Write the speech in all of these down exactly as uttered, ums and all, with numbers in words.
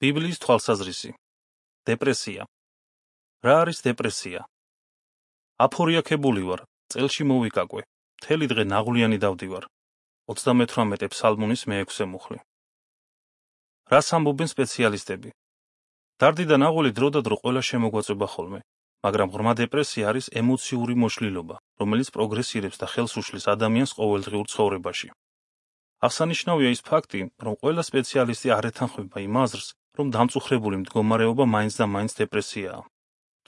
ბიბლიის თვალსაზრისი. დეპრესია. რა არის დეპრესია? აფორიაქებული ვარ, წელში მოვიკაკვე, მთელი დღე ნაღვლიანი დავდივარ. ოცდამეთვრამეტე ფსალმუნის მეექვსე მუხლი. რას ამბობენ სპეციალისტები? დარდი და ნაღველი დრო და დრო ყველა შემოგვაწვება ხოლმე, მაგრამ ღრმა დეპრესია არის ემოციური მოშლილობა, რომელიც პროგრესირებს და ხელს უშლის ადამიანს ყოველდღიურ ცხოვრებაში. აღსანიშნავია ის ფაქტი, რომ ყველა სპეციალისტი არ ეთანხმება იმ აზრს, რომ დამწუხრებული მდგომარეობა მაინც და მაინც დეპრესიაა.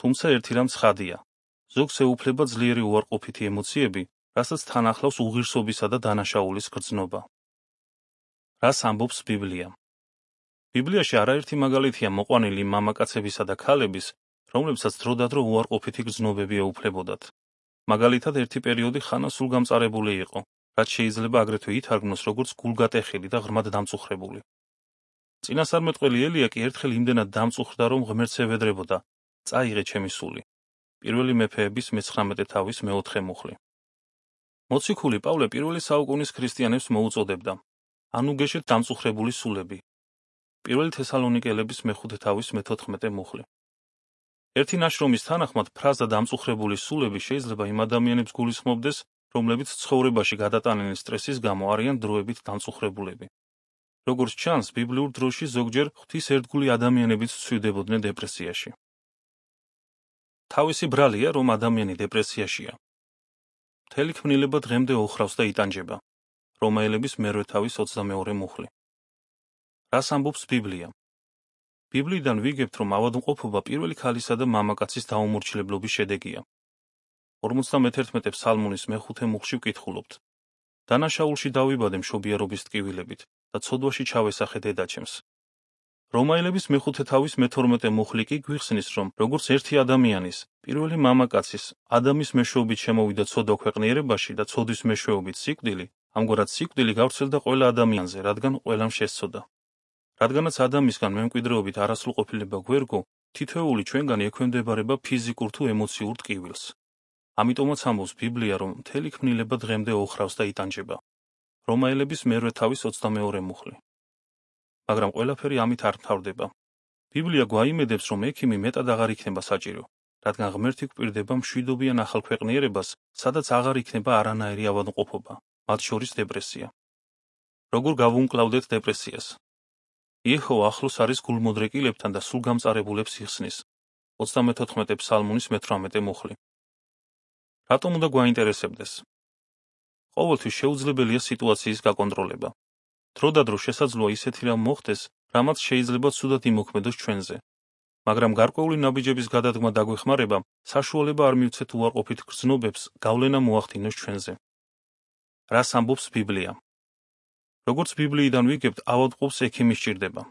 თუმცა ერთი რამ ცხადია. ზოგს ეუფლება ძლიერი უარყოფითი ემოციები, რასაც თან ახლავს უღირსობისა და დანაშაულის გრძნობა. რას ამბობს ბიბლია? ბიბლიაში არაერთი მაგალითია მოყვანილი მამაკაცებისა და ქალების, რომლებსაც დროდადრო უარყოფითი გრძნობები ეუფლებოდათ. მაგალითად ერთი პერიოდი ხანა სულგამწარებული იყო, რაც შეიძლება აგრეთვე ითარგმნოს როგორც გულგატეხილი და ღრმად დამწუხრებული. წინასწარმეტყველი ელია კი ერთხელ იმდენად დამწუხრდა, რომ ღმერთს ევედრებოდა, წაიღე ჩემი სული. პირველი მეფეების მეცხრამეტე თავის მეოთხე მუხლი. მოციქული პავლე პირველი საუკუნის ქრისტიანებს მოუწოდებდა, ანუ გეშეთ დამწუხრებული სულები. პირველი თესალონიკელების მეხუთე თავის მეთოთხმეტე მუხლი. ერთი ნაშრომის თანახმად ფრაზა დამწუხრებული სულები შეიძლება იმ ადამიანებს გულისხმობდეს, რომლებიც ცხოვრებაში გადატანილი სტრესის გამო არიან დროებით დამწუხრებულები. როგორც ჩანს, ბიბლიურ დროში ზოგჯერ ღვთისერთგული ადამიანებიც ცვივდებოდნენ დეპრესიაში. თავისი ბრალია, რომ ადამიანი დეპრესიაშია. მთელი ქმნილება დღემდე ოხრავს და იტანჯება. რომაელების მერვე თავის ოცდამეორე მუხლი. რას ამბობს ბიბლია? ბიბლიიდან ვიგებთ, რომ ავადმყოფობა პირველი ქალისა და მამაკაცის დაუმორჩილებლობის შედეგია. ორმოცდამეთერთმეტე ფსალმუნის მეხუთე მუხლში ვკითხულობთ. დანაშაულში დავიბადე მშობიარობის ტკივილებით და ცოდვაში ჩავესახე დედაჩემს. რომაელების მეხუთე თავის მეთორმეტე მუხლი კი გვიხსნის, რომ როგორც ერთი ადამიანის, პირველი მამაკაცის, ადამის მეშვეობით შემოვიდა ცოდვა ქვეყნიერებაში და ცოდვის მეშვეობით სიკვდილი, ამგვარად სიკვდილი გავრცელდა ყველა ადამიანზე, რადგან ყველამ შესცოდა. რადგანაც ადამისგან მემკვიდრეობით არასრულყოფილება გვერგო, თითოეული ჩვენგანი ექვემდებარება ფიზიკურ თუ ემოციურ ტკივილს. ამიტომაც ამბობს ბიბლია, რომ მთელი ქმნილება დღემდე ოხრავს და იტანჯება. რომაელების მერვე თავის ოცდამეორე მუხლი. მაგრამ ყველაფერი ამით არ მთავრდება. ბიბლია გვაიმედებს, რომ ექიმი მეტად აღარ იქნება საჭირო, რადგან ღმერთი გვპირდება მშვიდობიან ახალ ქვეყნიერებას, სადაც აღარ იქნება არანაირი ავადმყოფობა, მათ შორის დეპრესია. როგორ გავუმკლავდეთ დეპრესიას? იეჰოვა ახლოს არის გულმოდრეკილებთან და სულგამწარებულებს იხსნის. ოცდამეთოთხმეტე ფსალმუნის მეთვრამეტე მუხლი. რატომ უნდა გვაინტერესებდეს? ყოველთვის შეუძლებელია სიტუაციის გაკონტროლება. დრო და დრო შესაძლოა ისეთი რამ მოხდეს, რამაც შეიძლება ცუდად იმოქმედოს ჩვენზე. მაგრამ გარკვეული ნაბიჯების გადადგმა დაგვეხმარება, საშუალება არ მივცეთ უარყოფით გრძნობებს გავლენა მოახდინოს ჩვენზე. რას ამბობს ბიბლია? როგორც ბიბლიიდან ვიგებთ, ავადმყოფს ექიმი სჭირდება.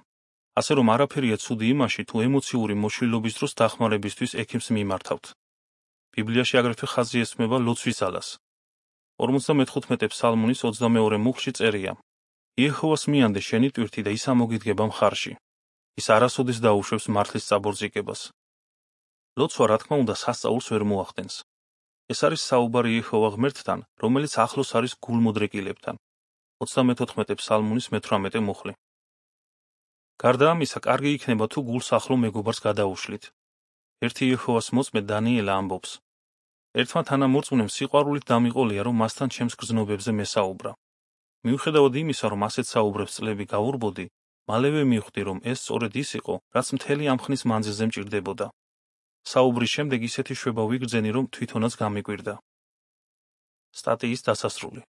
ასე რომ არაფერია ცუდი იმაში, თუ ემოციური მოშლილობის დროს დახმარებისთვის ექიმს მიმართავთ. ბიბლიაში აგრეთვე ხაზი ესმება ლოცვის ძალას. ორმოცდამეთხუთმეტე ფსალმუნის ოცდამეორე მუხლში წერია: იეჰოვას მიანდე შენი ტვირთი და ის ამოგიდგება მხარში. ის არასოდეს დაუშვებს მართლის წაბორძიგებას. ლოცვა, რა თქმა უნდა, სასწაულს ვერ მოახდენს. ეს არის საუბარი იეჰოვა ღმერთთან, რომელიც ახლოს არის გულმოდრეკილებთან. ოცდამეთოთხმეტე ფსალმუნის მეთვრამეტე მუხლი. გარდა ამისა, კარგი იქნება თუ გულს ახლო მეგობარს გადაუშლით. ერთი იეჰოვას მოწმე დანიელა ამბობს: ერთმა თანამორწმუნემ სიყვარულით დამიყოლია, რომ მასთან ჩემს გრძნობებზე მესაუბრა. მიუხედავად იმისა, რომ ასეთ საუბრებს წლები გაურბოდი, მალევე მივხვდი, რომ ეს სწორედ ის იყო, რაც მთელი ამ ხნის მანძილზე მჭირდებოდა. საუბრის შემდეგ ისეთი შვება ვიგრძენი, რომ თვითონაც გამიკვირდა. სტატიის დასასრული.